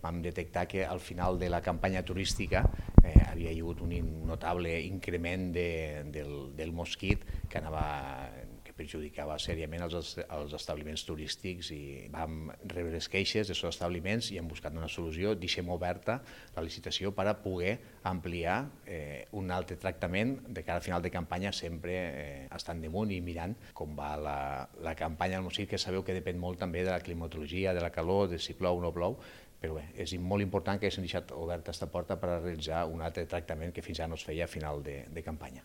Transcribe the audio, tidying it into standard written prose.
Vam detectar que al final de la campanya turística havia hagut un notable increment del mosquit que perjudicava seriament els establiments turístics, i vam rebre les queixes dels establiments i hem buscat una solució. Deixem oberta la licitació per a poder ampliar un altre tractament de cara al final de campanya, sempre estant damunt i mirant com va la campanya del mosquit, que sabeu que depèn molt també de la climatologia, de la calor, de si plou o no plou, però bé, és molt important que s'hagi deixat oberta aquesta porta per a realitzar un altre tractament que fins ara no es feia a final de campanya.